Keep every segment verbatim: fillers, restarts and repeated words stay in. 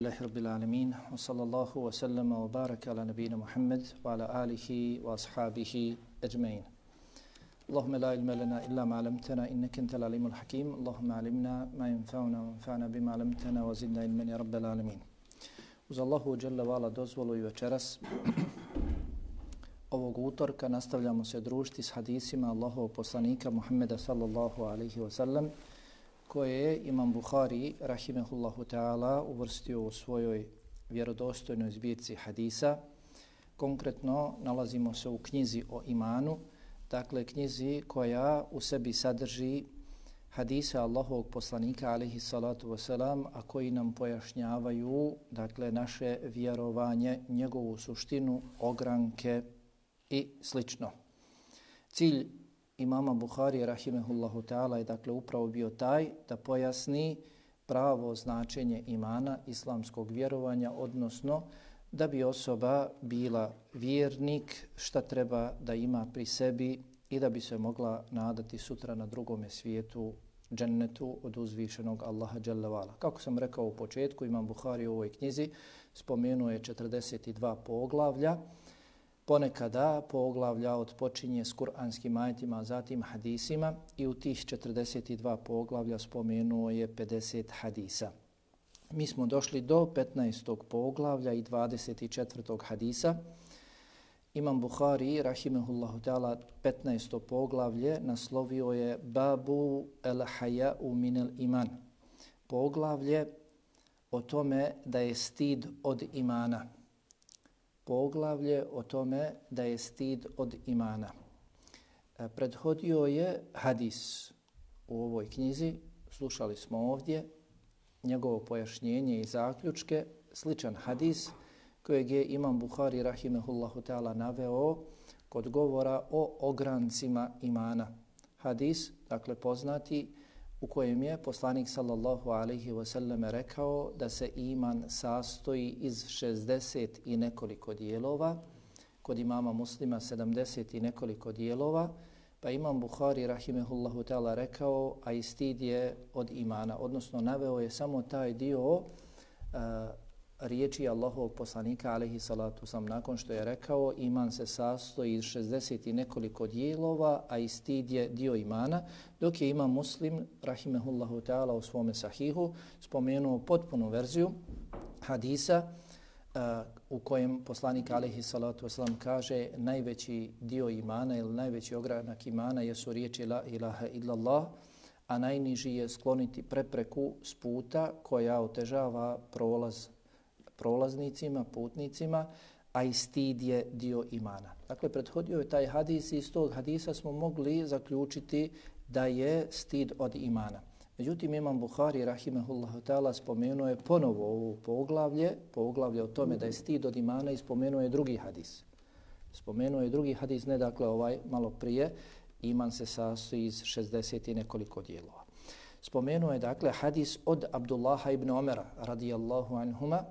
Alhamdulillahi Rabbil Alamin, wa sallallahu wa sallama wa baraka ala nabina Muhammad wa ala alihi wa ashabihi ajma'in. Allahumma la ilma lana illa ma alamtana innaka antal alimul hakim. Allahumma alimna ma yanfa'una wa anfa'na bima alamtana wa zidna ilman ya Rabbil Alamin. Uz Allahu dželle ve ala dozvolu i večeras ovog utorka nastavljamo se družiti s hadisima Allahovog poslanika Muhammeda sallallahu alaihi wa sallam, koje je Imam Buhari, rahimehullahu ta'ala, uvrstio u svojoj vjerodostojnoj zbirci hadisa. Konkretno nalazimo se u knjizi o imanu, dakle knjizi koja u sebi sadrži hadise Allahovog poslanika, alaihi salatu wasalam, a koji nam pojašnjavaju dakle naše vjerovanje, njegovu suštinu, ogranke i slično. Cilj imama Buhari, rahimehullahu ta'ala, je dakle upravo bio taj da pojasni pravo značenje imana, islamskog vjerovanja, odnosno da bi osoba bila vjernik, šta treba da ima pri sebi i da bi se mogla nadati sutra na drugome svijetu, džennetu od uzvišenog Allaha dželle vala. Kako sam rekao u početku, imam Buhari u ovoj knjizi spomenuo je četrdeset dva poglavlja. Ponekada poglavlja odpočinje s kuranskim ajetima, a zatim hadisima, i u tih četrdeset dva poglavlja spomenuo je pedeset hadisa. Mi smo došli do petnaestog poglavlja i dvadeset četvrtog hadisa. Imam Buhari, rahimehullahu ta'ala, petnaesto poglavlje naslovio je Babu el haya'u minel iman. Poglavlje o tome da je stid od imana. Poglavlje o tome da je stid od imana. Prethodio je hadis u ovoj knjizi, slušali smo ovdje njegovo pojašnjenje i zaključke, sličan hadis kojeg je Imam Buhari, rahimehullahu ta'ala, naveo kod govora o ograncima imana. Hadis, dakle poznati, u kojem je poslanik sallallahu alaihi wasallam rekao da se iman sastoji iz šezdeset i nekoliko dijelova, kod imama Muslima sedamdeset i nekoliko dijelova, pa Imam Buhari, rahimehullahu ta'ala, rekao, a i stid je od imana, odnosno naveo je samo taj dio uh, riječi Allahovog poslanika, alaihi salatu sam, nakon što je rekao iman se sastoji iz šezdeset i nekoliko dijelova, a i stid je dio imana, dok je Imam Muslim, rahimehullahu ta'ala, u svome sahihu spomenuo potpunu verziju hadisa uh, u kojem poslanik, alaihi salatu wasalam, kaže najveći dio imana ili najveći ogranak imana jesu riječi la ilaha illallah, a najniži je skloniti prepreku s puta koja otežava prolaz prolaznicima, putnicima, a i stid je dio imana. Dakle, prethodio je taj hadis i iz tog hadisa smo mogli zaključiti da je stid od imana. Međutim, Imam Buhari, rahimehullahu ta'ala, spomenuo je ponovo ovo poglavlje, poglavlje o tome da je stid od imana, i spomenuo je drugi hadis. Spomenuo je drugi hadis, ne dakle ovaj malo prije, iman se sastoji iz šezdeset i nekoliko dijelova. Spomenuo je dakle hadis od Abdullaha ibn Omera, radijallahu anhuma.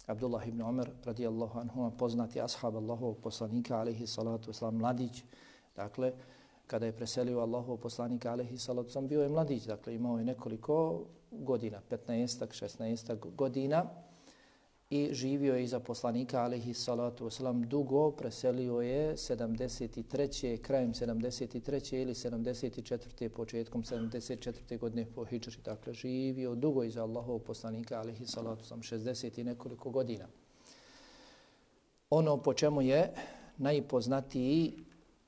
Abdullah ibn Omer, radijallahu anhuma, poznati ashab Allahovog poslanika, alaihi salatu wasalam, mladić. Dakle, kada je preselio Allahov poslanika, alaihi salatu wasalam, bio je mladić, dakle imao je nekoliko godina, petnaestak, šesnaestak godina, i živio je iza poslanika, alaihi salatu wasalam, dugo. Preselio je sedamdeset treće krajem sedamdeset treće ili sedamdeset četvrte početkom sedamdeset četvrte godine po hidžri. Dakle, živio dugo iza Allahovog poslanika, alaihi salatu wasalam, šezdeset i nekoliko godina. Ono po čemu je najpoznatiji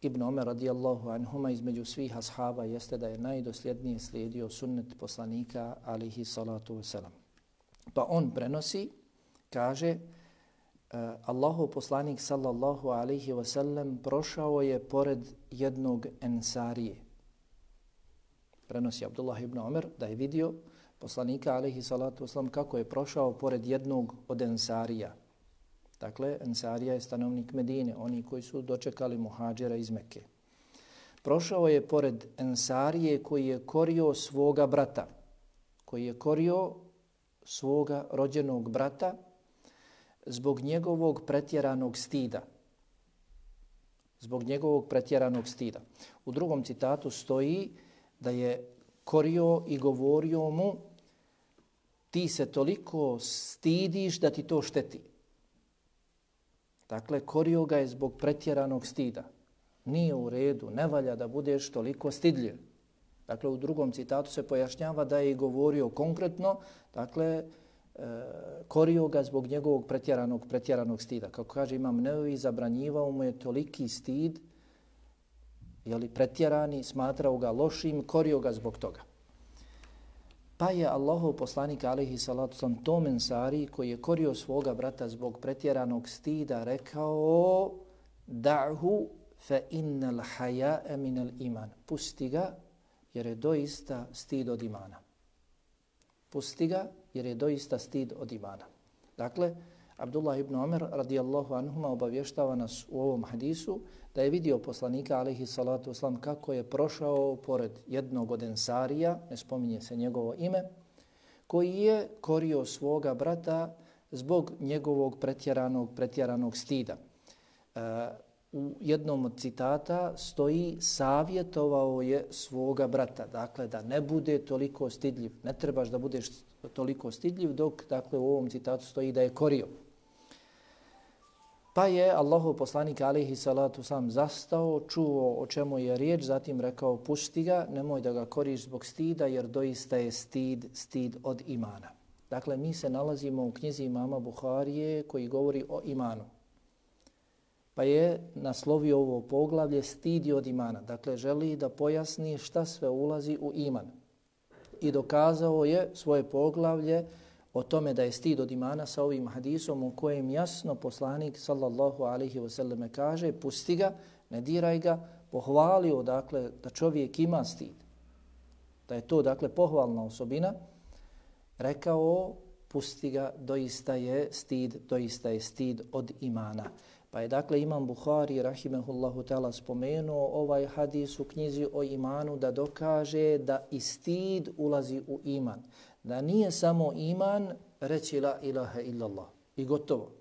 Ibn Omer, radijallahu anhuma, između svih ashaba jeste da je najdosljednije slijedio sunnet poslanika, alaihi salatu wasalam. Pa on prenosi, kaže, uh, Allahov poslanik sallallahu alaihi wasallam prošao je pored jednog ensarije. Prenosi Abdullah ibn Omer da je vidio poslanika, alaihi salatu wasallam, kako je prošao pored jednog od ensarija. Dakle, ensarija je stanovnik Medine, oni koji su dočekali muhadžira iz Mekke. Prošao je pored ensarije koji je korio svoga brata, koji je korio svoga rođenog brata zbog njegovog pretjeranog stida. Zbog njegovog pretjeranog stida. U drugom citatu stoji da je korio i govorio mu ti se toliko stidiš da ti to šteti. Dakle, korio ga je zbog pretjeranog stida. Nije u redu, ne valja da budeš toliko stidljiv. Dakle, u drugom citatu se pojašnjava da je govorio konkretno, dakle, e, korio ga zbog njegovog pretjeranog, pretjeranog stida. Kako kaže Imam Nevevi, zabranjivao mu je toliki stid, jeli pretjerani, smatrao ga lošim, korio ga zbog toga. Pa je Allahov poslanik alejhi salatu sam tom ensari koji je korio svoga brata zbog pretjeranog stida rekao da'hu fa innal haya'a minal iman. Pusti ga jer je doista stid od imana. Pusti ga jer je doista stid od imana. Dakle, Abdullah ibn Omer radijallahu anhuma obavještava nas u ovom hadisu da je vidio poslanika alejhi salatu vesselam kako je prošao pored jednog od ensarija, ne spominje se njegovo ime, koji je korio svoga brata zbog njegovog pretjeranog, pretjeranog stida. E, u jednom od citata stoji savjetovao je svoga brata, dakle da ne bude toliko stidljiv, ne trebaš da budeš toliko stidljiv, dok dakle u ovom citatu stoji da je korio. Pa je Allahov poslanik alejhi salatu sam zastao, čuo o čemu je riječ, zatim rekao pusti ga, nemoj da ga koriš zbog stida jer doista je stid, stid od imana. Dakle, mi se nalazimo u knjizi imama Buharije koji govori o imanu. Pa je naslovio ovo poglavlje stid od imana. Dakle, želi da pojasni šta sve ulazi u iman. I dokazao je svoje poglavlje o tome da je stid od imana sa ovim hadisom u kojem jasno poslanik sallallahu alaihi wasallam kaže pusti ga, ne diraj ga, pohvalio dakle da čovjek ima stid. Da je to dakle pohvalna osobina, rekao pusti ga, doista je stid, doista je stid od imana. Pa je dakle Imam Buhari rahimehullahu ta'ala spomenuo ovaj hadis u knjizi o imanu da dokaže da i stid ulazi u iman. Da nije samo iman reći la ilaha illallah i gotovo.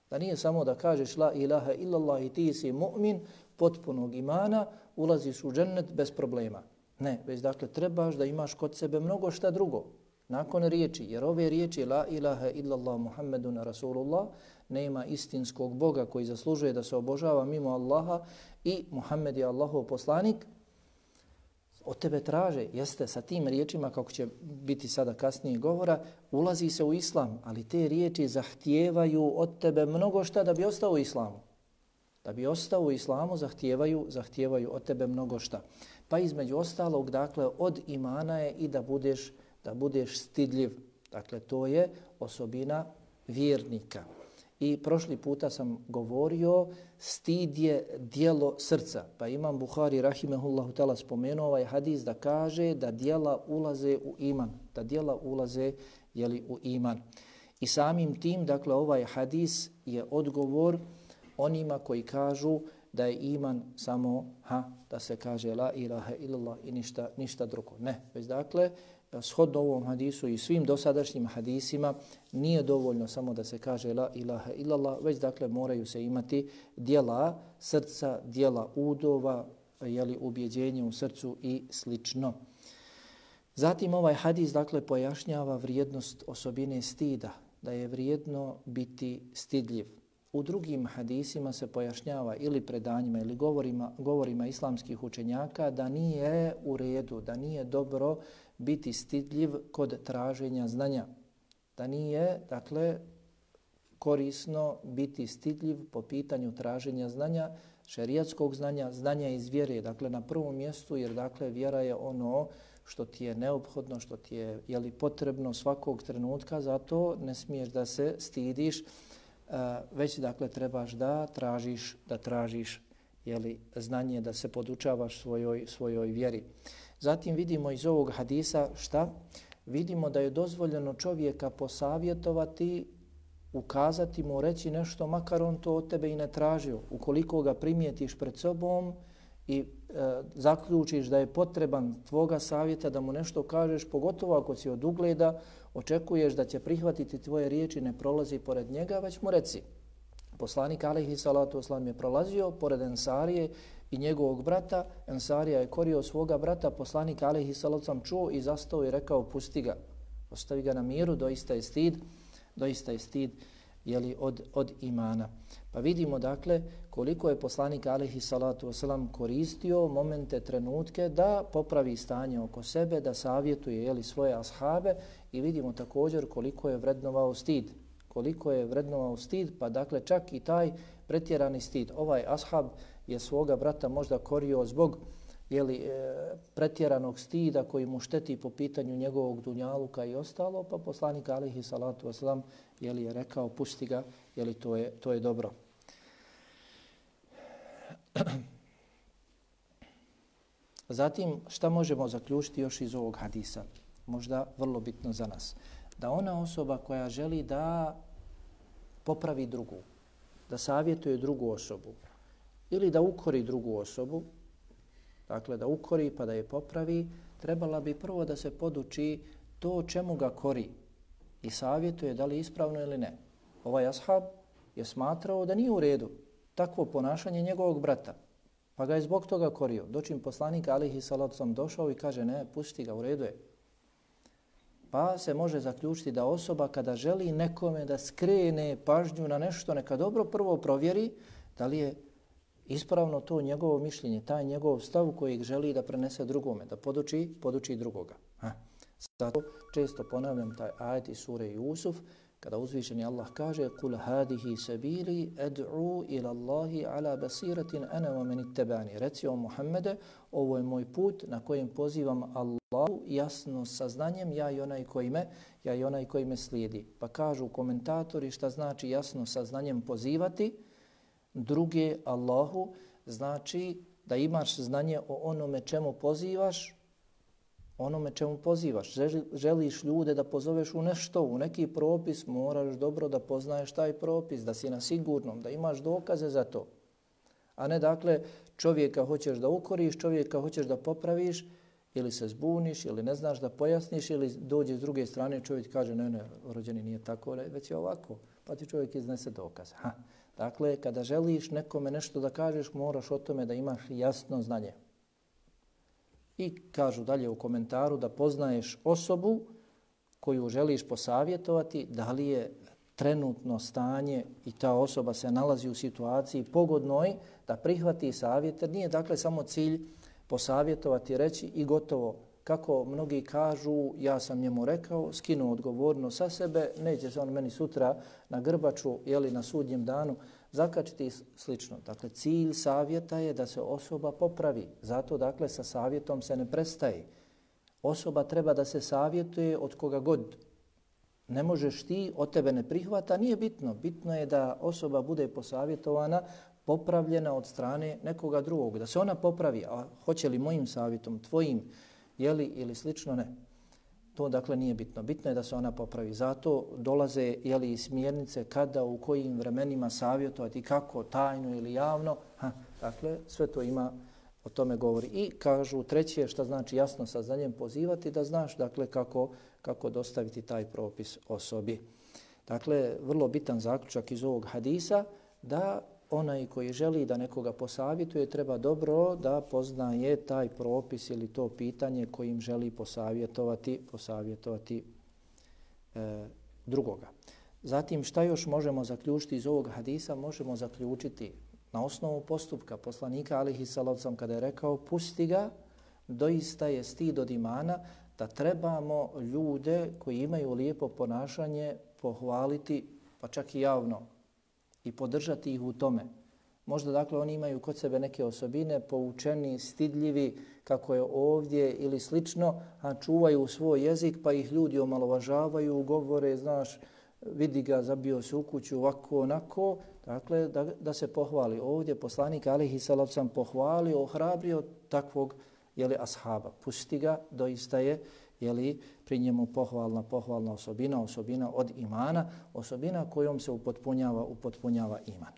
Da nije samo da kažeš la ilaha illallah i ti si mu'min potpunog imana, ulaziš u džennet bez problema. Ne, već dakle trebaš da imaš kod sebe mnogo šta drugo. Nakon riječi, jer ove riječi la ilaha illallah Muhammedun Rasulullah nema istinskog Boga koji zaslužuje da se obožava mimo Allaha i Muhammed je Allahov poslanik, od tebe traže, jeste sa tim riječima, kako će biti sada kasnije govora, ulazi se u islam, ali te riječi zahtijevaju od tebe mnogo šta da bi ostao u islamu. Da bi ostao u islamu zahtijevaju, zahtijevaju od tebe mnogo šta. Pa između ostalog, dakle, od imana je i da budeš, da budeš stidljiv. Dakle, to je osobina vjernika. I prošli puta sam govorio, stid je dijelo srca. Pa Imam Buhari rahimehullahu ta'ala spomenuo ovaj hadis da kaže da dijela ulaze u iman. Da dijela ulaze jeli, u iman. I samim tim, dakle, ovaj hadis je odgovor onima koji kažu da je iman samo ha, da se kaže la ilaha illallah i ništa, ništa drugo. Ne, već dakle, shodno ovom hadisu i svim dosadašnjim hadisima nije dovoljno samo da se kaže la ilaha illallah, već dakle moraju se imati dijela srca, dijela udova, jeli ubjeđenje u srcu i slično. Zatim ovaj hadis dakle pojašnjava vrijednost osobine stida, da je vrijedno biti stidljiv. U drugim hadisima se pojašnjava ili predanjima ili govorima, govorima islamskih učenjaka da nije u redu, da nije dobro biti stidljiv kod traženja znanja. Da nije, dakle, korisno biti stidljiv po pitanju traženja znanja, šerijatskog znanja, znanja iz vjere, dakle na prvom mjestu, jer dakle vjera je ono što ti je neophodno, što ti je jeli, potrebno svakog trenutka, zato ne smiješ da se stidiš, već dakle trebaš da tražiš, da tražiš jeli, znanje, da se podučavaš svojoj, svojoj vjeri. Zatim vidimo iz ovog hadisa šta? Vidimo da je dozvoljeno čovjeka posavjetovati, ukazati mu, reći nešto, makar on to od tebe i ne tražio. Ukoliko ga primijetiš pred sobom i e, zaključiš da je potreban tvoga savjeta da mu nešto kažeš, pogotovo ako si od ugleda, očekuješ da će prihvatiti tvoje riječi, ne prolazi pored njega, već mu reci. Poslanik alejhi salatu vesselam je prolazio pored Ensarije i njegovog brata. Ensarija je korio svoga brata, poslanik alejhi salatu vesselam čuo i zastao i rekao pusti ga. Ostavi ga na miru, doista je stid, doista je stid jeli, od, od imana. Pa vidimo dakle koliko je poslanik alejhi salatu vesselam koristio momente, trenutke da popravi stanje oko sebe, da savjetuje jeli, svoje ashabe i vidimo također koliko je vrednovao stid. Koliko je vrednovao stid, pa dakle čak i taj pretjerani stid. Ovaj ashab je svoga brata možda korio zbog jeli, e, pretjeranog stida koji mu šteti po pitanju njegovog dunjaluka i ostalo, pa poslanik alejhi salatu vesselam jeli, je rekao pusti ga, jeli, to, je, to je dobro. Zatim, šta možemo zaključiti još iz ovog hadisa? Možda vrlo bitno za nas. Da ona osoba koja želi da popravi drugu, da savjetuje drugu osobu ili da ukori drugu osobu, dakle da ukori pa da je popravi, trebala bi prvo da se poduči to čemu ga kori i savjetuje da li ispravno ili ne. Ovaj ashab je smatrao da nije u redu takvo ponašanje njegovog brata, pa ga je zbog toga korio. Dočim poslanik alejhi salatu vesselam došao i kaže ne, pusti ga, u redu je. Pa se može zaključiti da osoba kada želi nekome da skrene pažnju na nešto, neka dobro prvo provjeri da li je ispravno to njegovo mišljenje, taj njegov stav kojeg želi da prenese drugome, da poduči, poduči drugoga. Ha. Zato često ponavljam taj ajet iz sure Jusuf, kada uzvišeni Allah kaže kul hadihi sabili ad'u ila Allahi ala basiratin ana wa man ittabani. Reci o Muhammede, ovo je moj put na kojem pozivam Allahu jasno saznanjem, ja i onaj koji me, ja i onaj koji me slijedi. Pa kažu komentatori šta znači jasno saznanjem pozivati druge Allahu, znači da imaš znanje o onome čemu pozivaš, onome čemu pozivaš. Želiš ljude da pozoveš u nešto, u neki propis, moraš dobro da poznaješ taj propis, da si na sigurnom, da imaš dokaze za to. A ne dakle čovjeka hoćeš da ukoriš, čovjeka hoćeš da popraviš, ili se zbuniš, ili ne znaš da pojasniš, ili dođe s druge strane čovjek kaže ne, ne, rođeni nije tako, već je ovako, pa ti čovjek iznese dokaze. Ha. Dakle, kada želiš nekome nešto da kažeš, moraš o tome da imaš jasno znanje. I kažu dalje u komentaru da poznaješ osobu koju želiš posavjetovati, da li je trenutno stanje i ta osoba se nalazi u situaciji pogodnoj da prihvati savjet, jer nije dakle samo cilj posavjetovati, reći i gotovo. Kako mnogi kažu, ja sam njemu rekao, skinuo odgovorno sa sebe, neće se on meni sutra na grbaču ili na sudnjem danu zakačiti i slično. Dakle, cilj savjeta je da se osoba popravi. Zato, dakle, sa savjetom se ne prestaje. Osoba treba da se savjetuje od koga god. Ne možeš ti, od tebe ne prihvata, nije bitno. Bitno je da osoba bude posavjetovana, popravljena od strane nekoga drugog. Da se ona popravi, a hoće li mojim savjetom, tvojim, jeli ili slično, ne. To dakle nije bitno. Bitno je da se ona popravi. Zato dolaze jeli, smjernice kada, u kojim vremenima savjetovati, kako, tajno ili javno. Ha, dakle, sve to ima, o tome govori. I kažu treće, šta znači jasno sa znanjem pozivati, da znaš dakle kako, kako dostaviti taj propis osobi. Dakle, vrlo bitan zaključak iz ovog hadisa, da onaj koji želi da nekoga posavjetuje treba dobro da poznaje taj propis ili to pitanje kojim želi posavjetovati, posavjetovati e, drugoga. Zatim šta još možemo zaključiti iz ovog hadisa? Možemo zaključiti na osnovu postupka poslanika alejhi salatu vesselam kada je rekao pusti ga, doista je stid od imana, da trebamo ljude koji imaju lijepo ponašanje pohvaliti, pa čak i javno, i podržati ih u tome. Možda dakle oni imaju kod sebe neke osobine, poučeni, stidljivi, kako je ovdje ili slično, a čuvaju svoj jezik pa ih ljudi omalovažavaju, govore, znaš, vidi ga, zabio se u kuću, ovako, onako. Dakle, da, da se pohvali. Ovdje poslanik alejhi salatu vesselam pohvalio, ohrabrio takvog jeli, ashaba. Pusti ga, doista je jeli, pri njemu pohvalna, pohvalna osobina, osobina od imana, osobina kojom se upotpunjava, upotpunjava iman.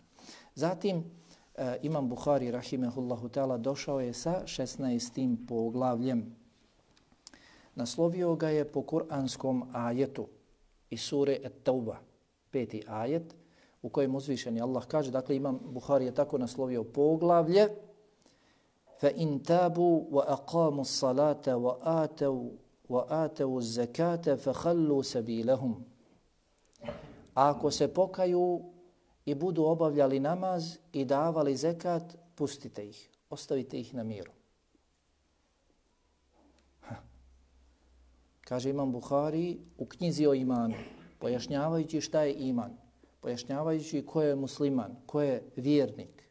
Zatim, e, Imam Buhari, rahimehullahu ta'ala, došao je sa šesnaestim poglavljem. Naslovio ga je po kuranskom ajetu iz sure At-Tauba, peti ajet, u kojem uzvišeni Allah kaže, dakle Imam Buhari je tako naslovio poglavlje, فَإِنْ تَابُوا وَأَقَامُوا الصَّلَاةَ وَآتَوْا وَآتَوُوا الزَّكَاةَ فَخَلُّوا سَبِيلَهُمْ. Ako se pokaju i budu obavljali namaz i davali zekat, pustite ih, ostavite ih na miru. Ha. Kaže Imam Buhari u knjizi o imanu, pojašnjavajući šta je iman, pojašnjavajući ko je musliman, ko je vjernik.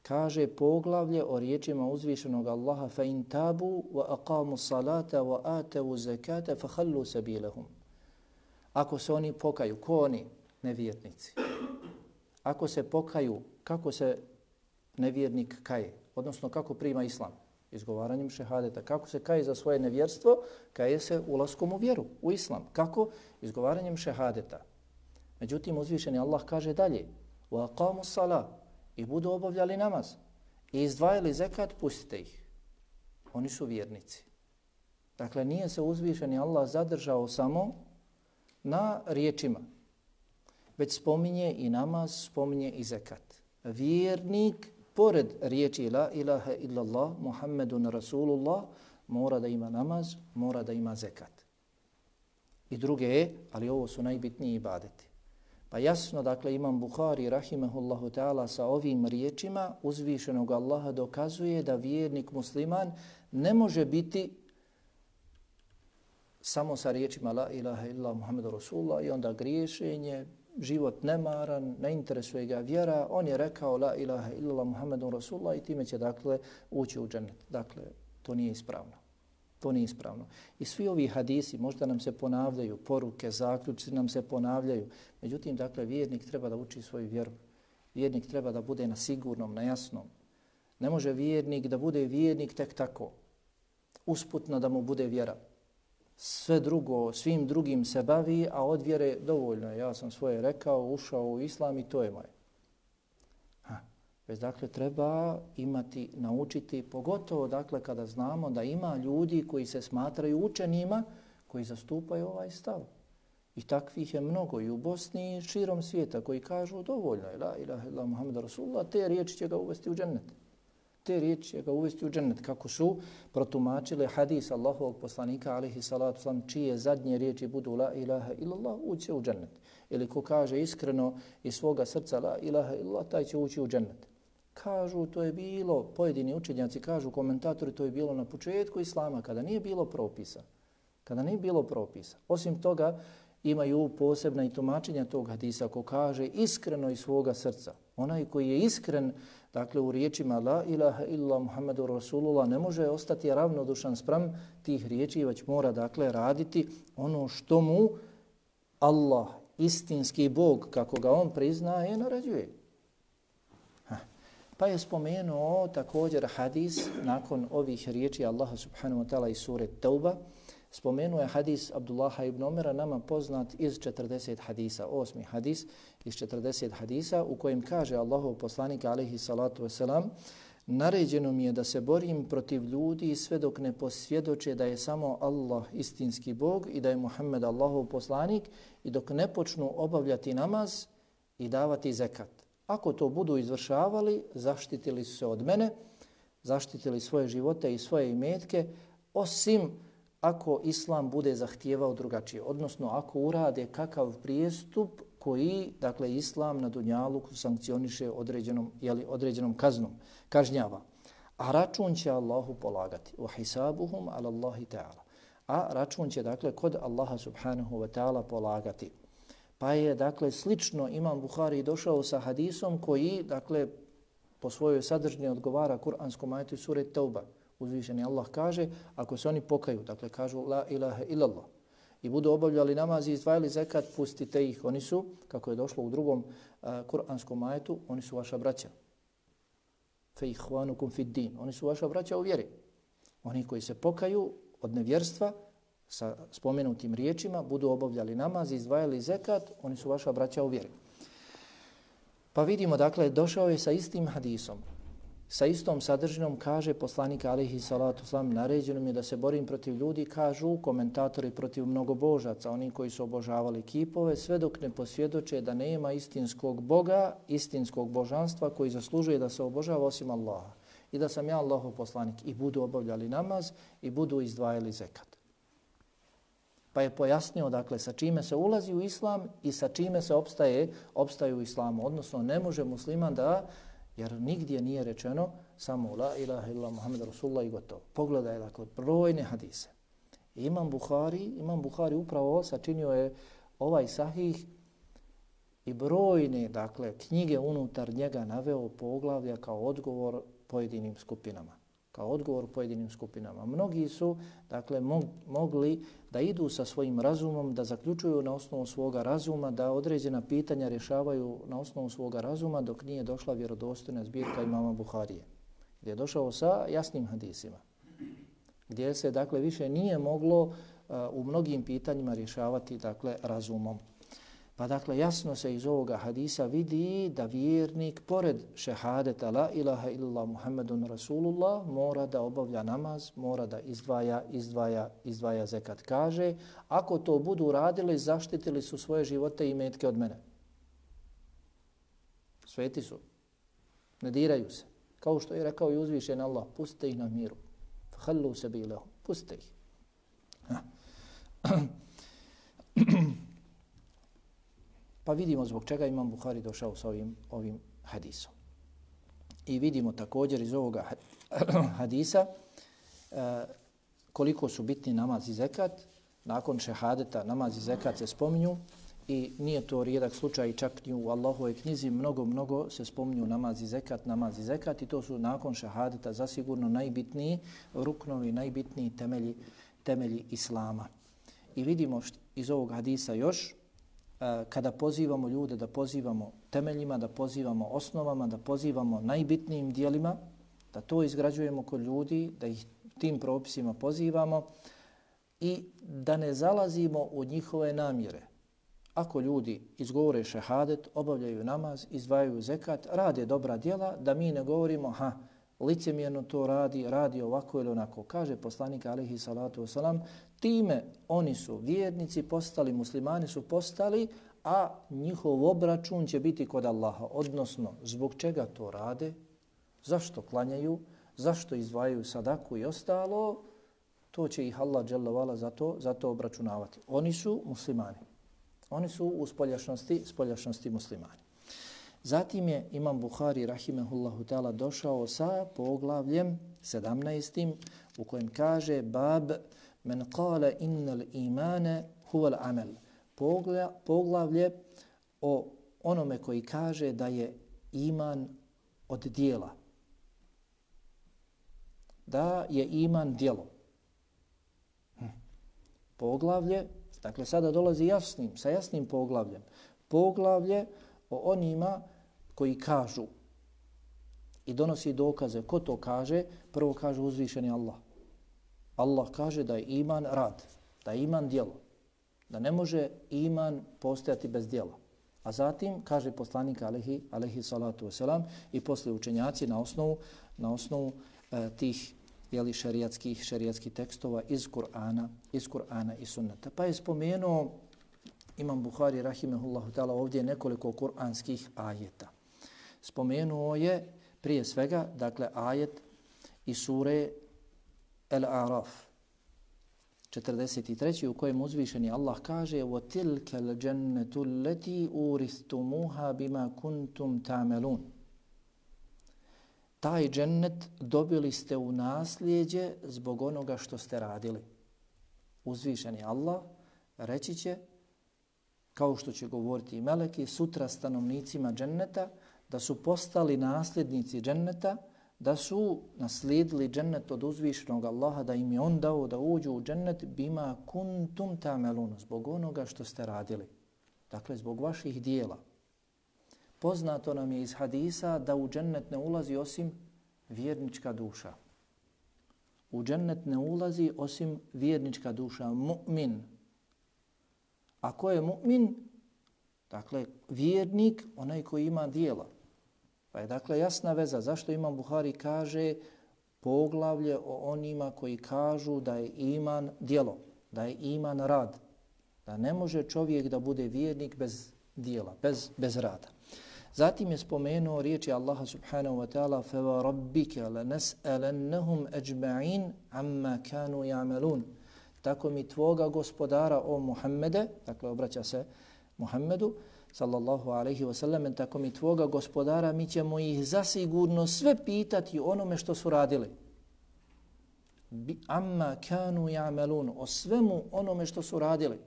Kaže poglavlje o riječima uzvišenog Allaha فَإِنْ تَابُوا وَأَقَامُوا الصَّلَاةَ وَآتَوُوا الزَّكَاةَ فَخَلُّوا سَبِيلَهُمْ. Ako se oni pokaju, ko oni? Nevjernici. Ako se pokaju, kako se nevjernik kaje? Odnosno kako prima islam? Izgovaranjem šehadeta. Kako se kaje za svoje nevjerstvo? Kaje se ulaskom u vjeru, u islam. Kako? Izgovaranjem šehadeta. Međutim, uzvišeni Allah kaže dalje وَأَقَامُوا الصَّلَاةَ i budu obavljali namaz i izdvajali zekat, pustite ih. Oni su vjernici. Dakle, nije se uzvišeni Allah zadržao samo na riječima, već spominje i namaz, spominje i zekat. Vjernik, pored riječi la ilaha illallah, Muhammedun Rasulullah, mora da ima namaz, mora da ima zekat. I druge, ali ovo su najbitniji ibadeti. Pa jasno, dakle, Imam Buhari, rahimehullahu ta'ala, sa ovim riječima uzvišenog Allaha dokazuje da vjernik musliman ne može biti samo sa riječima la ilaha illa Muhammedu Rasulullah i onda griješenje, život nemaran, ne interesuje ga vjera, on je rekao la ilaha illa Muhammedu Rasulullah i time će, dakle, ući u džennet. Dakle, to nije ispravno. To nije ispravno. I svi ovi hadisi možda nam se ponavljaju, poruke, zaključci nam se ponavljaju. Međutim, dakle, vjernik treba da uči svoju vjeru. Vjernik treba da bude na sigurnom, na jasnom. Ne može vjernik da bude vjernik tek tako. Usputno da mu bude vjera. Sve drugo, svim drugim se bavi, a od vjere dovoljno je. Ja sam svoje rekao, ušao u islam i to je moje. Već dakle treba imati, naučiti, pogotovo dakle kada znamo da ima ljudi koji se smatraju učenima, koji zastupaju ovaj stav. I takvih je mnogo i u Bosni i širom svijeta koji kažu dovoljno je la ilaha illa Muhammed Rasulullah, te riječi će ga uvesti u džennet. Te riječi će ga uvesti u džennet. Kako su protumačili hadis Allahovog poslanika alejhi salatu vesselam, čije zadnje riječi budu la ilaha illallah, ući u džennet. Ili ko kaže iskreno iz svoga srca la ilaha illallah, taj će ući u džennet. Kažu, to je bilo, pojedini učenjaci kažu, komentatori, to je bilo na početku islama, kada nije bilo propisa. Kada nije bilo propisa. Osim toga, imaju posebna i tumačenja tog hadisa ko kaže iskreno iz svoga srca. Onaj koji je iskren, dakle, u riječima la ilaha illa Muhammedu Rasulullah, ne može ostati ravnodušan spram tih riječi, već mora, dakle, raditi ono što mu Allah, istinski Bog, kako ga on priznaje, naređuje. Pa je spomenuo također hadis nakon ovih riječi Allaha subhanahu wa ta'ala iz sure Tauba. Spomenuo je hadis Abdullaha ibn Omera, nama poznat iz četrdeset hadisa, osmi hadis iz četrdeset hadisa, u kojem kaže Allahov poslanik alejhi salatu vesselam: naređeno mi je da se borim protiv ljudi sve dok ne posvjedoče da je samo Allah istinski Bog i da je Muhammed Allahov poslanik i dok ne počnu obavljati namaz i davati zekat. Ako to budu izvršavali, zaštitili su se od mene, zaštitili svoje živote i svoje imetke, osim ako Islam bude zahtijevao drugačije. Odnosno, ako urade kakav prijestup koji, dakle, Islam na dunjaluku sankcioniše određenom, jeli, određenom kaznom, kažnjava. A račun će Allahu polagati. وَحِسَابُهُمْ عَلَى اللَّهِ تَعَالَى. A račun će, dakle, kod Allaha subhanahu wa ta'ala polagati. Pa je, dakle, slično Imam Buhari došao sa hadisom koji, dakle, po svojoj sadržini odgovara kuranskom ajetu sure Tauba. Uzvišeni Allah kaže, ako se oni pokaju, dakle, kažu la ilaha illallah i budu obavljali namaz i izdvajali zekat, pustite ih. Oni su, kako je došlo u drugom uh, kuranskom ajetu, oni su vaša braća. Fe ihvanukum fid din. Oni su vaša braća u vjeri. Oni koji se pokaju od nevjerstva, sa spomenutim riječima, budu obavljali namaz i izdvajali zekat, oni su vaša braća u vjeri. Pa vidimo, dakle, došao je sa istim hadisom, sa istom sadržinom, kaže poslanik alejhi salatu vesselam, naređeno mi je da se borim protiv ljudi, kažu komentatori, protiv mnogobožaca, oni koji su obožavali kipove, sve dok ne posvjedoče da nema istinskog Boga, istinskog božanstva koji zaslužuje da se obožava osim Allaha. I da sam ja Allahov poslanik i budu obavljali namaz i budu izdvajali zekat. Pa je pojasnio, dakle, sa čime se ulazi u islam i sa čime se opstaje, opstaje u islamu. Odnosno, ne može musliman da, jer nigdje nije rečeno samo la ilaha illa Muhammed Rasulullah i gotovo. Pogledaj, dakle, brojne hadise. Imam Buhari, Imam Buhari upravo sačinio je ovaj sahih i brojne, dakle, knjige unutar njega naveo poglavlja kao odgovor pojedinim skupinama. Kao odgovor pojedinim skupinama. Mnogi su, dakle, mogli da idu sa svojim razumom, da zaključuju na osnovu svoga razuma, da određena pitanja rješavaju na osnovu svoga razuma, dok nije došla vjerodostojna zbirka imama Buharije, gdje je došao sa jasnim hadisima, gdje se, dakle, više nije moglo uh, u mnogim pitanjima rješavati, dakle, razumom. Pa, dakle, jasno se iz ovoga hadisa vidi da vjernik, pored šehadeta la ilaha illa Muhammedun Rasulullah, mora da obavlja namaz, mora da izdvaja, izdvaja, izdvaja zekat. Kaže, ako to budu radili, zaštitili su svoje živote i metke od mene. Sveti su. Ne diraju se. Kao što je rekao i uzvišen Allah, pustite ih na miru. Hallu sebilehu. Pustite ih. Pa vidimo zbog čega Imam Buhari došao sa ovim, ovim hadisom. I vidimo također iz ovoga hadisa e, koliko su bitni namaz i zekat. Nakon šehadeta namaz i zekat se spominju i nije to rijedak slučaj, čak i u Allahovoj knjizi mnogo, mnogo se spominju namaz i zekat, namaz i zekat i to su nakon šehadeta zasigurno najbitniji ruknovi, najbitniji temelji, temelji Islama. I vidimo št, iz ovog hadisa još kada pozivamo ljude da pozivamo temeljima, da pozivamo osnovama, da pozivamo najbitnijim dijelima, da to izgrađujemo kod ljudi, da ih tim propisima pozivamo i da ne zalazimo u njihove namjere. Ako ljudi izgovore šehadet, obavljaju namaz, izdvajaju zekat, rade dobra djela, da mi ne govorimo ha, licemjerno to radi, radi ovako ili onako. Kaže poslanik alejhi salatu vesselam, time oni su vjernici postali, muslimani su postali, a njihov obračun će biti kod Allaha. Odnosno, zbog čega to rade, zašto klanjaju, zašto izdvajaju sadaku i ostalo, to će ih Allah dželle vala za to, za to obračunavati. Oni su muslimani. Oni su u spoljašnosti, spoljašnosti muslimani. Zatim je Imam Buhari rahimehullahu ta'ala došao sa poglavljem sedamnaestim u kojem kaže bab men qala innal imane huval amel. Poglavlje o onome koji kaže da je iman od dijela. Da je iman djelo. Hm. Poglavlje, dakle sada dolazi jasnim, sa jasnim poglavljem. Poglavlje o onima koji kažu i donosi dokaze. Ko to kaže? Prvo kaže uzvišeni Allah. Allah kaže da je iman rad, da je iman djelo, da ne može iman postojati bez djela. A zatim kaže poslanik alejhi alejhi salatu vesselam i posle učenjaci na osnovu na osnovu e, tih jeli šerijatskih šerijatskih tekstova iz Kur'ana, iz Kur'ana i Sunneta. Pa je spomenuo Imam Buhari rahimehullahu ta'ala ovdje nekoliko kur'anskih ajeta. Spomenuo je prije svega, dakle, ajet iz sure El-Araf, četrdeset treći u kojem uzvišeni Allah kaže وَتِلْكَ الْجَنَّةُ الَّتِي أُورِثْتُمُوهَا بِمَا كُنْتُمْ تَعْمَلُونَ. Taj džennet dobili ste u nasljeđe zbog onoga što ste radili. Uzvišeni Allah reći će, kao što će govoriti i meleki, sutra stanovnicima dženneta, da su postali nasljednici dženneta, da su naslijedili džennet od uzvišenog Allaha, da im je on dao da uđu u džennet bima kuntum ta'malun, zbog onoga što ste radili. Dakle, zbog vaših dijela. Poznato nam je iz hadisa da u džennet ne ulazi osim vjernička duša. U džennet ne ulazi osim vjernička duša, mu'min. A ko je mu'min? Dakle, vjernik, onaj koji ima dijela. Pa je dakle jasna veza zašto Imam Buhari kaže poglavlje o onima koji kažu da je iman djelo, da je iman rad, da ne može čovjek da bude vjernik bez dijela, bez, bez rada. Zatim je spomenuo riječi Allaha subhanahu wa ta'ala فَوَرَبِّكَ لَنَسْأَلَنَّهُمْ أَجْمَعِينَ عَمَّا كَانُوا يَعْمَلُونَ. tako mi tvoga gospodara o Muhammede, dakle obraća se Muhammedu, sallallahu alaihi wasallam, tako mi tvoga gospodara, mi ćemo ih zasigurno sve pitati onome što su radili. Bi amma kanu ya'malun, o svemu onome što su radili.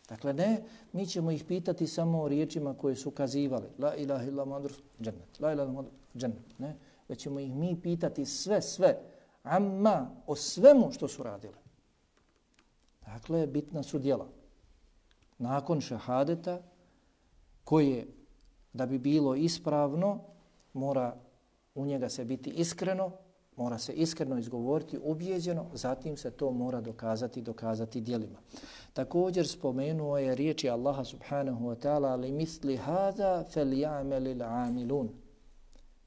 Dakle, ne, mi ćemo ih pitati samo o riječima koje su kazivali. La ilaha illa Muhammadur džennet. La ilaha illa džennet. Ne, već ćemo ih mi pitati sve, sve. Amma, o svemu što su radili. Dakle, bitna su djela. Nakon šahadeta, koje, da bi bilo ispravno, mora u njega se biti iskreno, mora se iskreno izgovoriti, ubijeđeno, zatim se to mora dokazati, dokazati djelima. Također spomenuo je riječi Allaha subhanahu wa ta'ala li misli hada fel ja'melil amilun.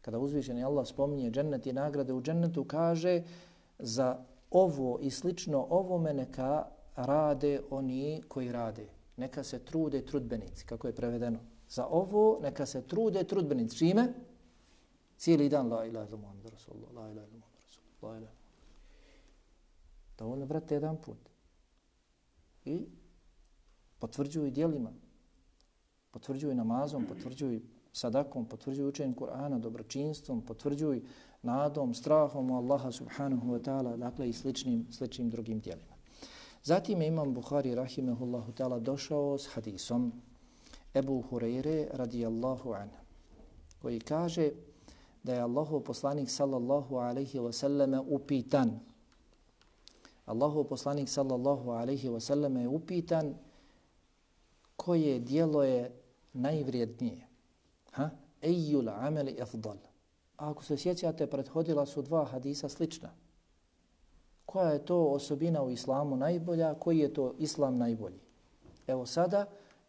Kada uzvišeni Allah spominje džennet i nagrade u džennetu, kaže za ovo i slično ovome neka rade oni koji rade. Neka se trude trudbenici, kako je prevedeno. Za ovo neka se trude trudbenici. Čime? Cijeli dan la ilaha illa Muhammadur rasulullah, la ilaha illa Muhammadur rasulullah, la ilaha. Dovoljno, brate, jedan put. I potvrđuju djelima, potvrđuju namazom, potvrđuju sadakom, potvrđuju učenjem Kur'ana, dobročinstvom, potvrđuju nadom, strahom u Allaha subhanahu wa ta'ala, dakle i sličnim, sličnim drugim djelima. Zatim je Imam Buhari rahimehullahu ta'ala došao s hadisom Ebu Hureyre radijallahu anhu, koji kaže da je Allahov poslanik sallallahu alaihi wa sallame upitan. Allahov poslanik sallallahu alaihi wa sallame je upitan koje dijelo je najvrijednije. Ha? Ejjul ameli afdal. A ako se sjećate, prethodila su dva hadisa slična. Koja je to osobina u islamu najbolja, koji je to islam najbolji? Evo sada,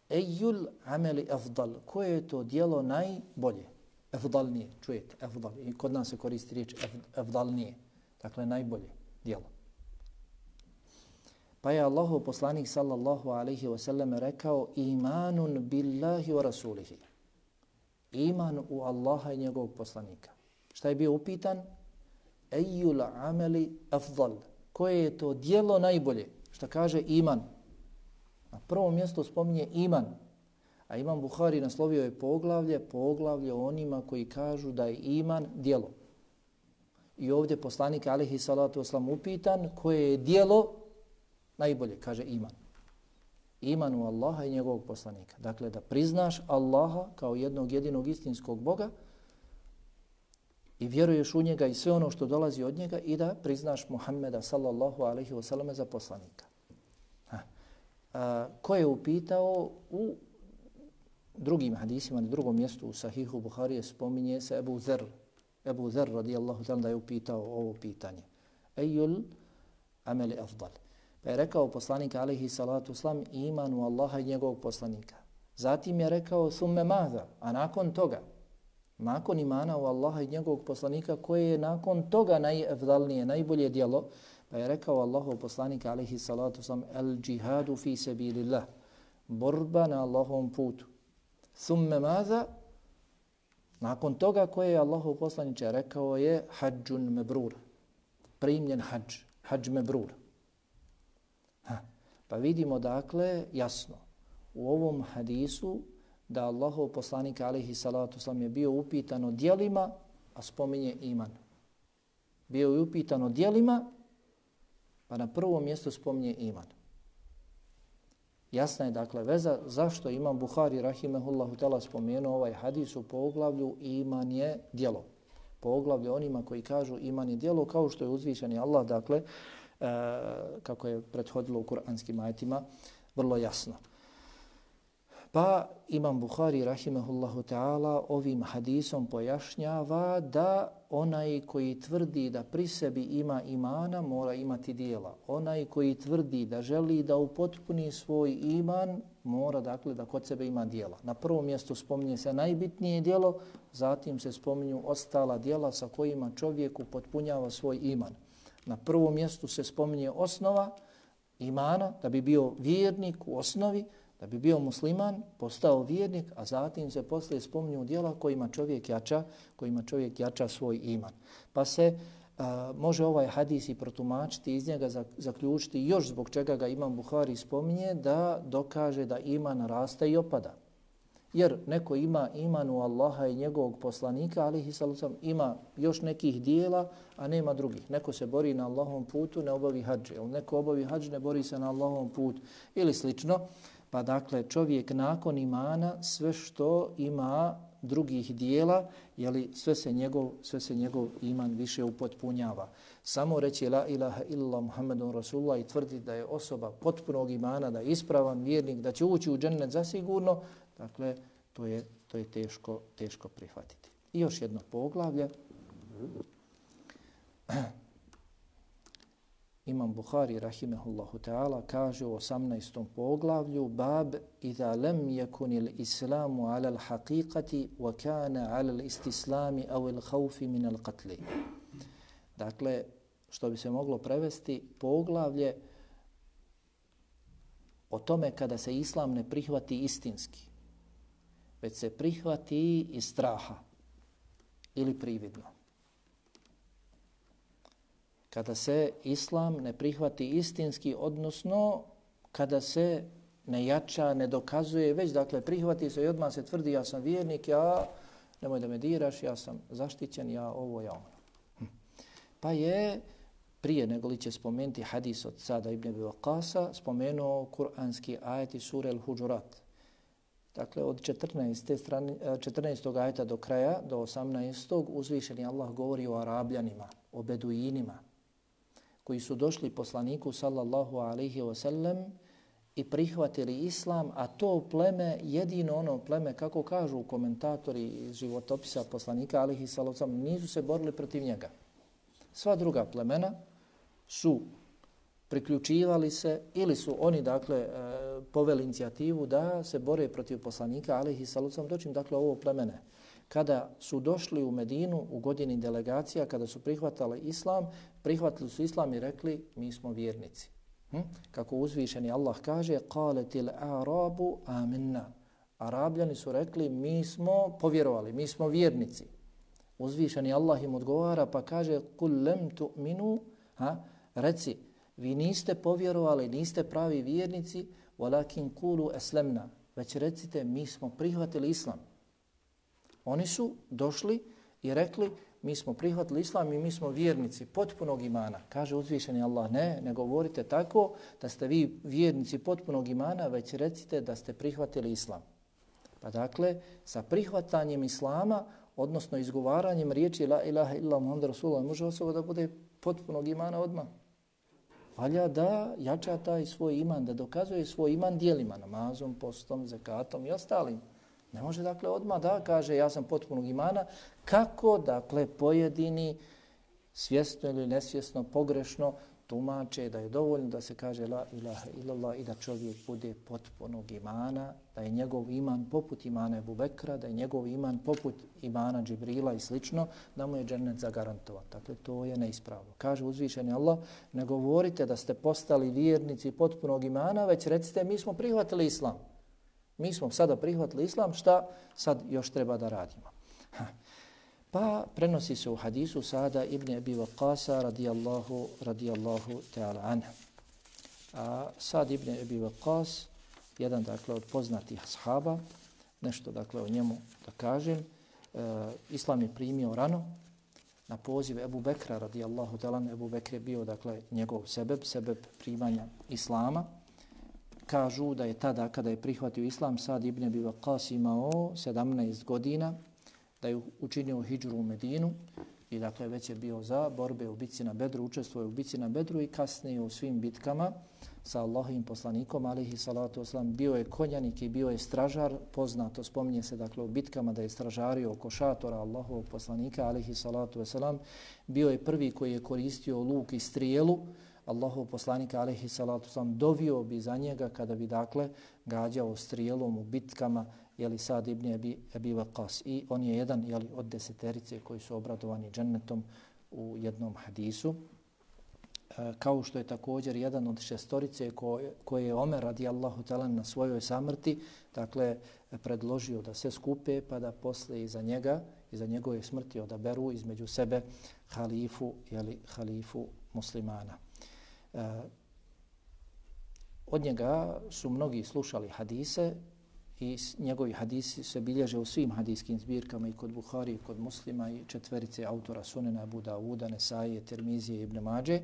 ejjul ameli afdal. Koje je to dijelo najbolje? Afdalnije, čujete, afdal. I kod nas se koristi riječ afdalnije. Dakle, najbolje dijelo. Pa je Allahov poslanik sallallahu alaihi wa sallam rekao imanun billahi wa rasulihi. Iman u Allaha i njegovog poslanika. Šta je bio upitan? Ejjul ameli afdal. Koje je to dijelo najbolje? Šta kaže iman? Na prvom mjestu spominje iman. A Imam Buhari naslovio je poglavlje, poglavlje o onima koji kažu da je iman dijelo. I ovdje poslanik alejhi salatu vesselam upitan koje je dijelo najbolje, kaže iman. Iman u Allaha i njegovog poslanika. Dakle, da priznaš Allaha kao jednog jedinog istinskog Boga i vjeruješ u njega i sve ono što dolazi od njega i da priznaš Muhammeda sallallahu alaihi wa sallam za poslanika. Ha. A, ko je upitao u drugim hadisima, na drugom mjestu u Sahihu Buharije spominje se Ebu Zer. Ebu Zer radijallahu ta'ala da je upitao ovo pitanje. Ejjul ameli afdal. Pa je rekao poslanik alejhi salatu vesselam iman u Allaha i njegovog poslanika. Zatim je rekao thumme maza, a nakon toga, nakon imana u Allaha i njegovog poslanika, koje je nakon toga najafdalnije, najbolje djelo, pa je rekao Allahov poslanik alejhi salatu vesselam el džihadu fi sabilillah, borba na Allahovom putu. Thumme maza, nakon toga koje je Allahov poslaniče rekao je hađun mebrur, primljen hađ, hađ mebrur. Ha. Pa vidimo dakle jasno u ovom hadisu da Allahov poslanik alejhi salatu vesselam je bio upitan o djelima, a spominje iman. Bio je upitan o djelima, pa na prvom mjestu spominje iman. Jasna je dakle veza zašto Imam Buhari rahimehullahu ta'ala spomenuo ovaj hadis u poglavlju iman je djelo. Poglavlju onima koji kažu iman je djelo, kao što je uzvišeni Allah, dakle, e, kako je prethodilo u kuranskim ajetima, vrlo jasno. Pa Imam Buhari rahimehullahu ta'ala ovim hadisom pojašnjava da onaj koji tvrdi da pri sebi ima imana mora imati dijela. Onaj koji tvrdi da želi da upotpuni svoj iman mora dakle da kod sebe ima dijela. Na prvom mjestu spominje se najbitnije dijelo, zatim se spominju ostala dijela sa kojima čovjek upotpunjava svoj iman. Na prvom mjestu se spominje osnova imana, da bi bio vjernik u osnovi, da bi bio musliman, postao vjernik, a zatim se poslije spominju djela kojima čovjek jača, kojima čovjek jača svoj iman. Pa se a, može ovaj hadis i protumačiti, iz njega zaključiti još zbog čega ga Imam Buhari spominje, da dokaže da iman raste i opada. Jer neko ima iman u Allaha i njegovog poslanika, alihi sallam, ima još nekih dijela, a nema drugih. Neko se bori na Allahovom putu, ne obavi hadž. Neko obavi hadž, ne bori se na Allahovom putu ili slično. Pa dakle, čovjek nakon imana sve što ima drugih dijela, jeli, sve se njegov, sve se njegov iman više upotpunjava. Samo reći la ilaha illallah Muhammedun Rasulullah i tvrdi da je osoba potpunog imana, da je ispravan vjernik, da će ući u džennet zasigurno, dakle, to je, to je teško, teško prihvatiti. I još jedno poglavlje. Imam Buhari, rahimehullahu ta'ala, kaže u osamnaestom poglavlju bab idha lam yakun al-islamu ala al-haqiqati wa kana ala al-istislami aw al-khawfi min al-qatl. Dakle, što bi se moglo prevesti, poglavlje o tome kada se islam ne prihvati istinski, već se prihvati iz straha ili prividno. Kada se islam ne prihvati istinski, odnosno kada se ne jača, ne dokazuje, već dakle prihvati se i odmah se tvrdi ja sam vjernik, ja, nemoj da me diraš, ja sam zaštićen, ja ovo, ja ono. Hm. Pa je, prije nego li će spomenuti hadis od Sada ibn Abi Waqqasa, spomenuo kuranski ajet iz sure Al-Huđurat. Dakle, od četrnaeste strane, četrnaestog ajeta do kraja, do osamnaestog uzvišeni Allah govori o Arabljanima, o Beduinima, koji su došli poslaniku sallallahu alaihi wa sallam i prihvatili islam, a to pleme, jedino ono pleme, kako kažu komentatori iz životopisa poslanika alaihi sallallahu alaihi wa sallam, nisu se borili protiv njega. Sva druga plemena su priključivali se ili su oni dakle e, poveli inicijativu da se bore protiv poslanika alejhi salatu vesselam, dočim dakle ovo plemene. Kada su došli u Medinu u godini delegacija, kada su prihvatali islam, prihvatili su islam i rekli mi smo vjernici. Hm? Kako uzvišeni Allah kaže qalatil a'rabu amanna. Arabljani su rekli mi smo povjerovali, mi smo vjernici. Uzvišeni Allah im odgovara pa kaže kul lam tu'minu, ha, reci vi niste povjerovali, niste pravi vjernici, walakin qulu aslamna, već recite mi smo prihvatili islam. Oni su došli i rekli mi smo prihvatili islam i mi smo vjernici potpunog imana. Kaže uzvišeni Allah, ne, ne govorite tako da ste vi vjernici potpunog imana, već recite da ste prihvatili islam. Pa dakle, sa prihvatanjem islama, odnosno izgovaranjem riječi la ilaha illa Muhammed Rasulullah, može osoba da bude potpunog imana odmah. Valja da jača taj svoj iman, da dokazuje svoj iman dijelima, namazom, postom, zekatom i ostalim. Ne može dakle odmah da kaže ja sam potpunog imana, kako dakle pojedini svjesno ili nesvjesno, pogrešno tumače da je dovoljno da se kaže la ilaha illallah i da čovjek bude potpunog imana, da je njegov iman poput imana Ebu Bekra, da je njegov iman poput imana Džibrila i slično, da mu je džennet zagarantovan. Dakle, to je neispravno. Kaže uzvišeni Allah, ne govorite da ste postali vjernici potpunog imana, već recite mi smo prihvatili islam. Mi smo sada prihvatili islam, šta sad još treba da radimo? Ha. Pa prenosi se u hadisu Sada ibn Abi Waqqasa radijallahu, radijallahu ta'ala anha. A Sad ibn Abi Waqqas, jedan dakle od poznatih ashaba, nešto dakle o njemu da kažem, e, islam je primio rano na poziv Ebu Bekra radijallahu ta'ala anha. Ebu Bekr je bio dakle njegov sebeb, sebeb primanja islama. Kažu da je tada kada je prihvatio islam Sad ibn Abi Waqqas imao sedamnaest godina, da je učinio hidžru u Medinu i dakle već je bio za borbe u bitci na Bedru, učestvuje u bitci na Bedru i kasnije u svim bitkama sa Allahovim poslanikom alejhi salatu vesselam. Bio je konjanik i bio je stražar, poznato spominje se dakle u bitkama da je stražario oko šatora Allahovog poslanika alejhi salatu vesselam. Bio je prvi koji je koristio luk i strijelu. Allahov poslanika alejhi salatu vesselam dovio bi za njega kada bi dakle gađao strijelom u bitkama jeli Sad ibn Abi, Abi Waqqas. I on je jedan jeli, od deseterice koji su obradovani džennetom u jednom hadisu. E, kao što je također jedan od šestorice koje, koje je Omer radijallahu ta'ala na svojoj samrti, dakle, predložio da se skupe pa da posle iza njega, iza njegove smrti odaberu između sebe halifu, jeli, halifu muslimana. E, od njega su mnogi slušali hadise i njegovi hadisi se bilježe u svim hadijskim zbirkama i kod Buhari i kod Muslima i četverice autora Sunena, Abu Dawuda, Nesaije, Tirmizije i Ibn Mađe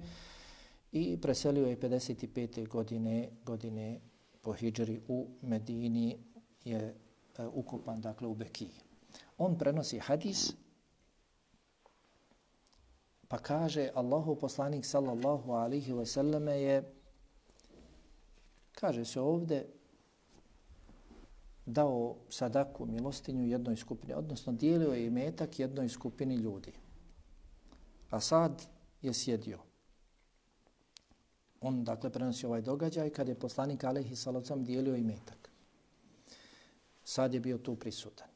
i preselio je pedeset pete godine, godine po hidžri u Medini, je uh, ukupan dakle u Bekiji. On prenosi hadis pa kaže Allahu poslanik sallallahu alaihi wa sallame je, kaže se ovdje, dao sadaku, milostinju jednoj skupini, odnosno dijelio je imetak jednoj skupini ljudi. A Sad je sjedio. On dakle prenosi ovaj događaj kad je poslanik alejhi salatu vesselam dijelio imetak. Sad je bio tu prisutan.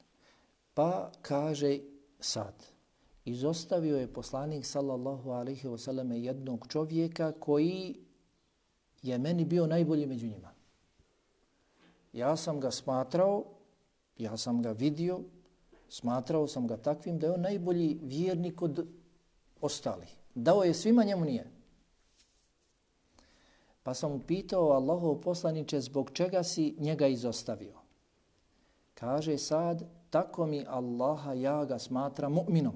Pa kaže Sad, izostavio je poslanik sallallahu alejhi ve selleme jednog čovjeka koji je meni bio najbolji među njima. Ja sam ga smatrao, ja sam ga vidio, smatrao sam ga takvim da je on najbolji vjernik od ostalih. Dao je svima, njemu nije. Pa sam mu pitao, Allahov poslaniče, zbog čega si njega izostavio? Kaže Sad, tako mi Allaha, ja ga smatram mu'minom.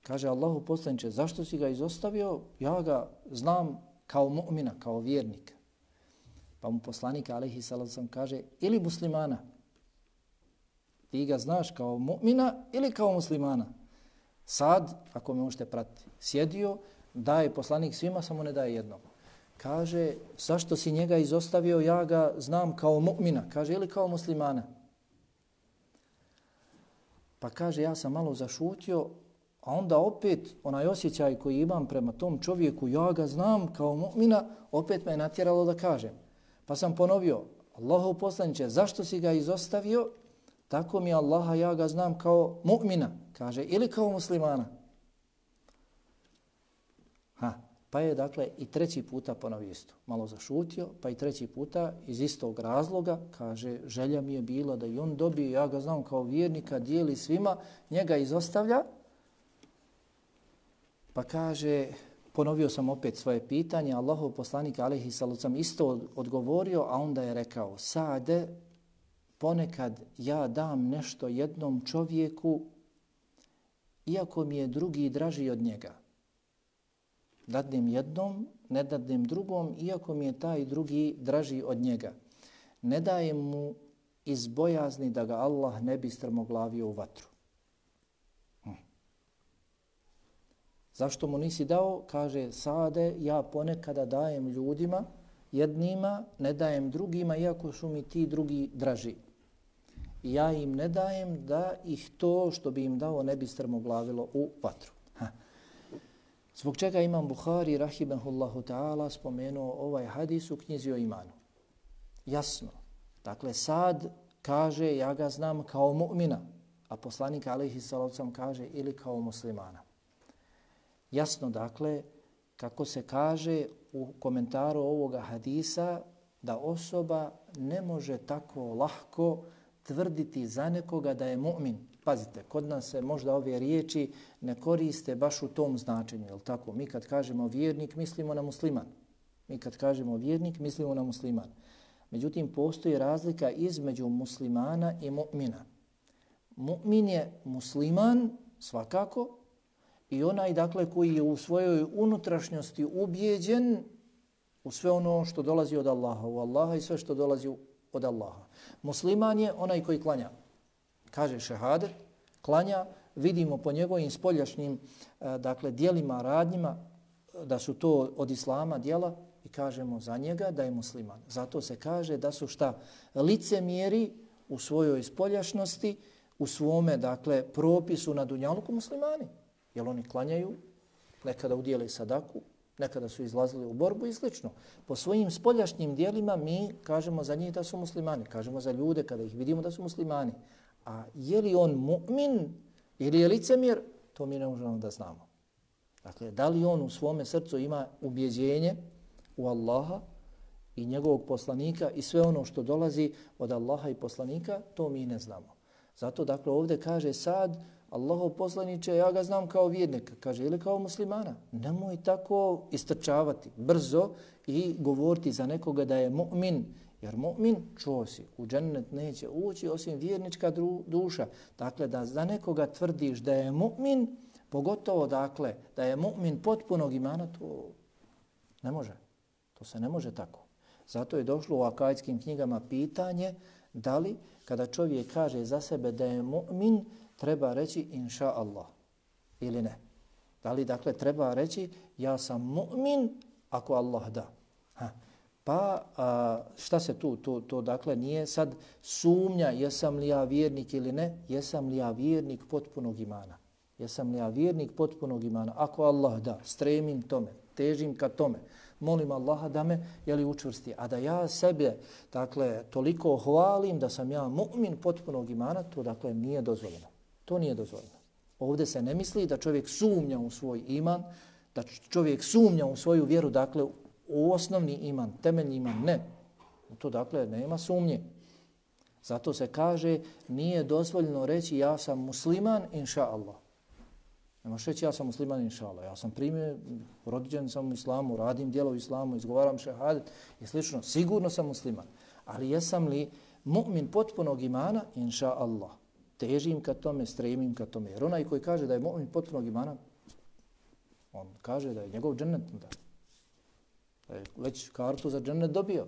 Kaže Allahov poslaniče, zašto si ga izostavio? Ja ga znam kao mu'mina, kao vjernika. Pa mu poslanik alejhi salatu vesselam kaže, ili muslimana. Ti ga znaš kao mu'mina ili kao muslimana. Sad, ako me možete pratiti, sjedio, daje poslanik svima, samo ne daje jednom. Kaže, zašto si njega izostavio? Ja ga znam kao mu'mina. Kaže, ili kao muslimana. Pa kaže, ja sam malo zašutio, a onda opet onaj osjećaj koji imam prema tom čovjeku, ja ga znam kao mu'mina, opet me je natjeralo da kažem. Pa sam ponovio, Allahov poslaniče, zašto si ga izostavio? Tako mi Allaha, ja ga znam kao mu'mina, kaže, ili kao muslimana. Ha, pa je dakle i treći puta ponovio isto. Malo zašutio, pa i treći puta iz istog razloga, kaže, želja mi je bila da i on dobije, ja ga znam kao vjernika, dijeli svima, njega izostavlja. Pa kaže, ponovio sam opet svoje pitanje, Allahov poslanik alejhi salatu vesselam isto odgovorio, a onda je rekao, Sade, ponekad ja dam nešto jednom čovjeku, iako mi je drugi draži od njega. Dadnem jednom, ne dadnem drugom, iako mi je taj drugi draži od njega. Ne dajem mu iz bojazni da ga Allah ne bi strmoglavio u vatru. Hm. Zašto mu nisi dao? Kaže, Sade, ja ponekada dajem ljudima, jednima, ne dajem drugima, iako su mi ti drugi draži. I ja im ne dajem da ih to što bi im dao ne bi strmoglavilo u vatru. Ha. Zbog čega Imam Buhari, rahimahullahu ta'ala, spomenuo ovaj hadis u knjizi o imanu? Jasno. Dakle, Sad kaže, ja ga znam kao mu'mina, a poslanik alejhi salatu vesselam kaže ili kao muslimana. Jasno, dakle, kako se kaže u komentaru ovoga hadisa, da osoba ne može tako lahko tvrditi za nekoga da je mu'min. Pazite, kod nas se možda ove riječi ne koriste baš u tom značenju, je li tako? Mi kad kažemo vjernik, mislimo na musliman. Mi kad kažemo vjernik, mislimo na musliman. Međutim, postoji razlika između muslimana i mu'mina. Mu'min je musliman, svakako, i onaj, dakle, koji je u svojoj unutrašnjosti ubijeđen u sve ono što dolazi od Allaha, u Allaha i sve što dolazi od Allaha. Musliman je onaj koji klanja. Kaže šehadet, klanja, vidimo po njegovim spoljašnjim dakle, dijelima, radnjima, da su to od islama dijela i kažemo za njega da je musliman. Zato se kaže da su šta? Licemjeri u svojoj spoljašnosti, u svome dakle, propisu na dunjaluku muslimani. Jer oni klanjaju, nekada udijeli sadaku, nekada su izlazili u borbu i slično. Po svojim spoljašnjim dijelima mi kažemo za njih da su muslimani. Kažemo za ljude kada ih vidimo da su muslimani. A je li on mu'min ili je licemjer, to mi ne možemo da znamo. Dakle, da li on u svome srcu ima ubjeđenje u Allaha i njegovog poslanika i sve ono što dolazi od Allaha i poslanika, to mi ne znamo. Zato, dakle, ovdje kaže sad, Allahov poslaniče, ja ga znam kao vjernika, kaže, ili kao muslimana. Nemoj tako istrčavati brzo i govoriti za nekoga da je mu'min, jer mu'min, čuo si, u džennet neće ući osim vjernička duša. Dakle, da za nekoga tvrdiš da je mu'min, pogotovo, dakle, da je mu'min potpunog imana, to ne može. To se ne može tako. Zato je došlo u akajskim knjigama pitanje da li kada čovjek kaže za sebe da je mu'min, treba reći inša Allah ili ne. Da li dakle treba reći ja sam mu'min ako Allah da. Ha. Pa a, šta se tu, to, to dakle nije sad sumnja jesam li ja vjernik ili ne, jesam li ja vjernik potpunog imana. Jesam li ja vjernik potpunog imana. Ako Allah da, stremim tome, težim ka tome, molim Allaha da me jeli, učvrsti. A da ja sebe dakle, toliko hvalim da sam ja mu'min potpunog imana, to dakle nije dozvoljeno. To nije dozvoljeno. Ovdje se ne misli da čovjek sumnja u svoj iman, da čovjek sumnja u svoju vjeru, dakle u osnovni iman, temeljni iman, ne. To dakle nema sumnje. Zato se kaže nije dozvoljeno reći ja sam musliman, inša Allah. Ne možeš reći ja sam musliman, inša Allah. Ja sam primio, rođen sam u islamu, radim djelo u islamu, izgovaram šehadet i slično. Sigurno sam musliman. Ali jesam li mu'min potpunog imana, inša Allah. Težim ka tome, stremim ka tome. Jer onaj koji kaže da je mu'min potpunog imana, on kaže da je njegov džennet, da, da je već kartu za džennet dobio.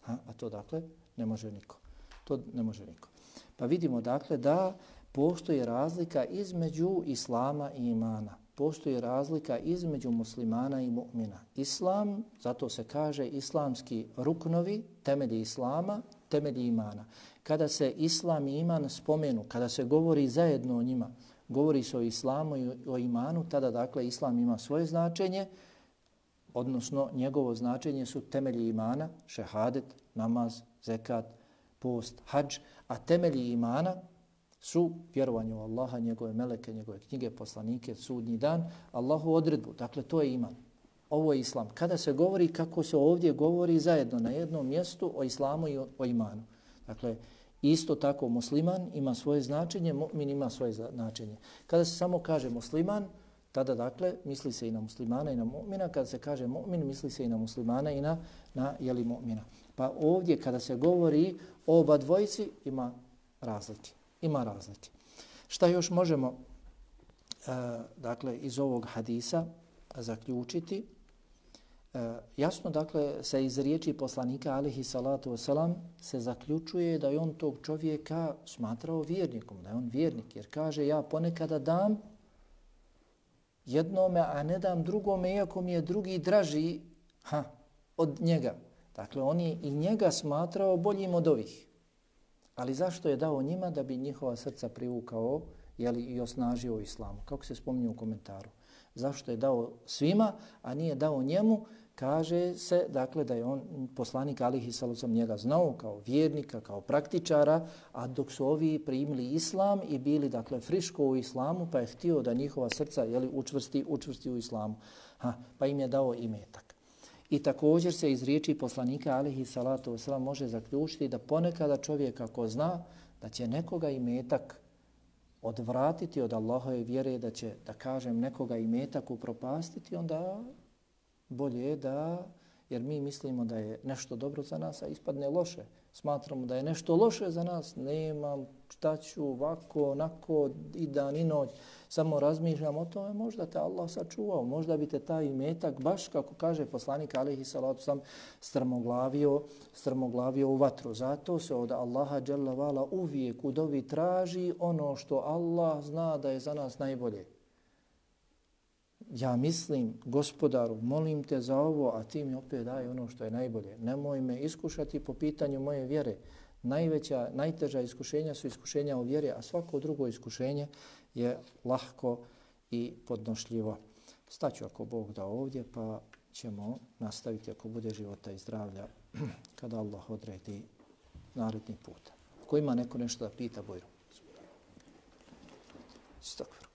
Ha? A to dakle ne može niko. To ne može niko. Pa vidimo dakle da postoji razlika između islama i imana. Postoji razlika između muslimana i mu'mina. Islam, zato se kaže islamski ruknovi, temelji islama, temelji imana. Kada se islam i iman spomenu, kada se govori zajedno o njima, govori se o islamu i o imanu, tada dakle islam ima svoje značenje, odnosno njegovo značenje su temelji imana, šehadet, namaz, zekat, post, hadž, a temelji imana su vjerovanje u Allaha, njegove meleke, njegove knjige, poslanike, sudnji dan, Allahu odredbu. Dakle, to je iman. Ovo je islam. Kada se govori kako se ovdje govori zajedno na jednom mjestu o islamu i o, o imanu. Dakle, isto tako musliman ima svoje značenje, mu'min ima svoje značenje. Kada se samo kaže musliman, tada dakle misli se i na muslimana i na mu'mina. Kada se kaže mu'min, misli se i na muslimana i na, na jeli, mu'mina. Pa ovdje kada se govori o oba dvojici ima razlike. Ima razlike. Šta još možemo e, dakle iz ovog hadisa zaključiti? E, jasno dakle se iz riječi poslanika alihi salatu wasalam se zaključuje da je on tog čovjeka smatrao vjernikom, da je on vjernik, jer kaže ja ponekada dam jednome, a ne dam drugome, iako mi je drugi draži ha, od njega. Dakle, on je i njega smatrao boljim od ovih. Ali zašto je dao njima? Da bi njihova srca privukao jeli, i osnažio islamu. Kako se spominje u komentaru. Zašto je dao svima, a nije dao njemu? Kaže se dakle, da je on poslanik alihi sallam njega znao kao vjernika, kao praktičara, a dok su ovi primili islam i bili dakle friško u islamu, pa je htio da njihova srca jeli, učvrsti, učvrsti u islamu. Ha, pa im je dao imetak. I također se iz riječi poslanika alihi salatu wasalam može zaključiti da ponekada čovjek ako zna da će nekoga imetak odvratiti od Allahove vjere, da će, da kažem, nekoga imetak upropastiti, onda bolje je da, jer mi mislimo da je nešto dobro za nas, a ispadne loše. Smatramo da je nešto loše za nas, nemam, šta ću, ovako, onako, i dan i noć, samo razmišljam o tome, možda te Allah sačuvao, možda bi te taj imetak, baš kako kaže poslanik alihi salatu sam, strmoglavio, strmoglavio u vatru. Zato se od Allaha dželle vala uvijek u dovi traži ono što Allah zna da je za nas najbolje. Ja mislim, gospodaru, molim te za ovo, a ti mi opet daj ono što je najbolje. Nemoj me iskušati po pitanju moje vjere. Najveća, najteža iskušenja su iskušenja u vjeri, a svako drugo iskušenje je lahko i podnošljivo. Staću ako Bog da ovdje, pa ćemo nastaviti ako bude života i zdravlja kada Allah odredi naredni put. Ko ima neko nešto da pita, Bojro? Stakvar.